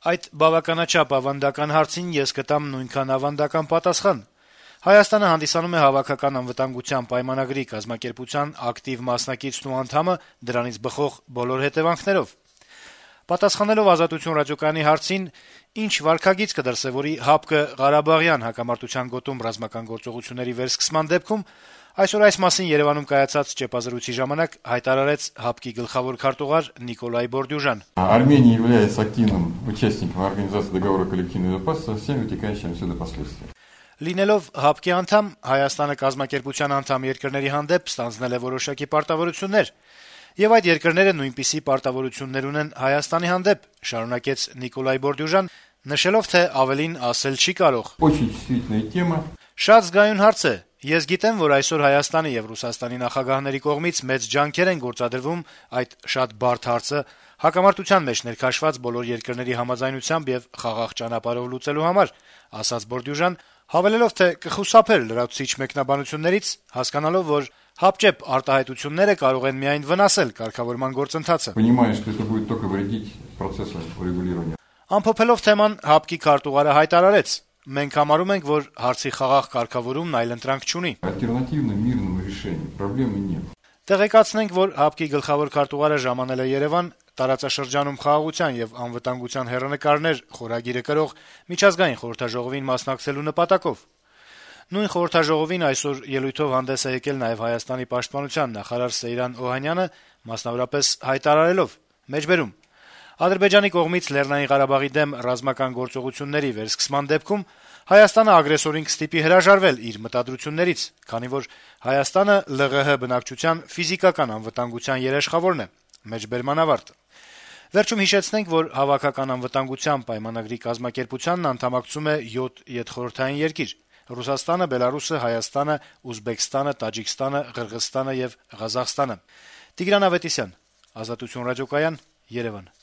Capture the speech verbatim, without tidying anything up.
Այդ բավականաչափ ավանդական հարցին ես կտամ նույնքան ավանդական պատասխան. Հայաստանը հանդիսանում է Հավաքական անվտանգության պայմանագրի կազմակերպության ակտիվ մասնակիցն ու անդամը դրանից բխող բոլոր հետեւանքներով։ Պատասխանելով Ազատություն ռադիոկայանի հարցին, ինչ վարքագիծ կդրսեւորի ՀԱՊԿ Ղարաբաղյան հակամարտության գոտում ռազմական գործողությունների վերսկսման դեպքում, այսօր այս մասին Երեւանում կայացած ճեպազրույցի ժամանակ հայտարարեց ՀԱՊԿ-ի գլխավոր քարտուղար Նիկոլայ Բորդյուժան. Армения является активным участником Организации договора коллективной безопасности со всеми вытекающими отсюда последствиями. Լինելով ՀԱՊԿ-ի անդամ, Հայաստանը կազմակերպության անդամ երկրների հանդեպ ստանձնել է որոշակի պարտավորություններ, եւ այդ երկրները նույնպիսի պարտավորություններ ունեն Հայաստանի հանդեպ, շարունակեց Նիկոլայ Բորդյուժան, նշելով, թե ավելին ասել չի կարող. Очень чувствительная тема. Շատ զգայուն հարց է. Ես գիտեմ, որ այսօր Հայաստանի եւ Ռուսաստանի նախագահների կողմից մեծ ջանքեր են գործադրվում այդ շատ բարդ հարցը հակամարտության մեջ ներքաշված բոլոր երկրների համաձայնությամբ եւ խաղաղ ճանապարհով լուծելու համար, ասաց Բորդյուժան, հավելելով, թե կխուսափեր լրացուցիչ մեկնաբանություններից, հասկանալով, որ հապճեպ արտահայտությունները կարող են միայն վնասել կարգավորման գործընթացը։ Понимаю, что это будет только вредить процессу урегулирования. Ամփոփելով թեման, ՀԱՊԿ-ի քարտուղարը հայտարարեց. Մենք համարում ենք, որ հարցի խաղաղ կարգավորումն այլընտրանք չունի։ Ալտերնատիվնому мирному решению проблемы нет. Տեղեկացնենք, որ ՀԱՊԿ-ի գլխավոր քարտուղարը ժամանել է Երևան տարածաշրջանում խաղաղության եւ անվտանգության հեռանկարներ խորագիրը կրող միջազգային խորհրդաժողովին մասնակցելու նպատակով։ Նույն խորհրդաժողովին այսօր ելույթով հանդես է եկել նաեւ Հայաստանի պաշտպանության նախարար Սեյրան Օհանյանը, մասնավորապես հայտարարելով. Մեջբերում Ադրբեջանի կողմից Լեռնային Ղարաբաղի դեմ ռազմական գործողությունների վերսկսման դեպքում Հայաստանը ագրեսորին կստիպի հրաժարվել իր մտադրություններից, քանի որ Հայաստանը ԼՂՀ բնակչության ֆիզիկական անվտանգության երաշխավորն է։ Մեջբերման ավարտ։ Վերջում հիշեցնենք, որ Հավաքական անվտանգության պայմանագրի կազմակերպությանն անդամակցում է յոթ ետխորհրդային երկիր՝ Ռուսաստանը, Բելարուսը, Հայաստանը, Ուզբեկստանը, Տաջիկստանը, Ղրղըզստանը եւ Ղազախստանը։ Տիգրան Ավետիսյան, Ազատություն ռադիոկայան, Երևան։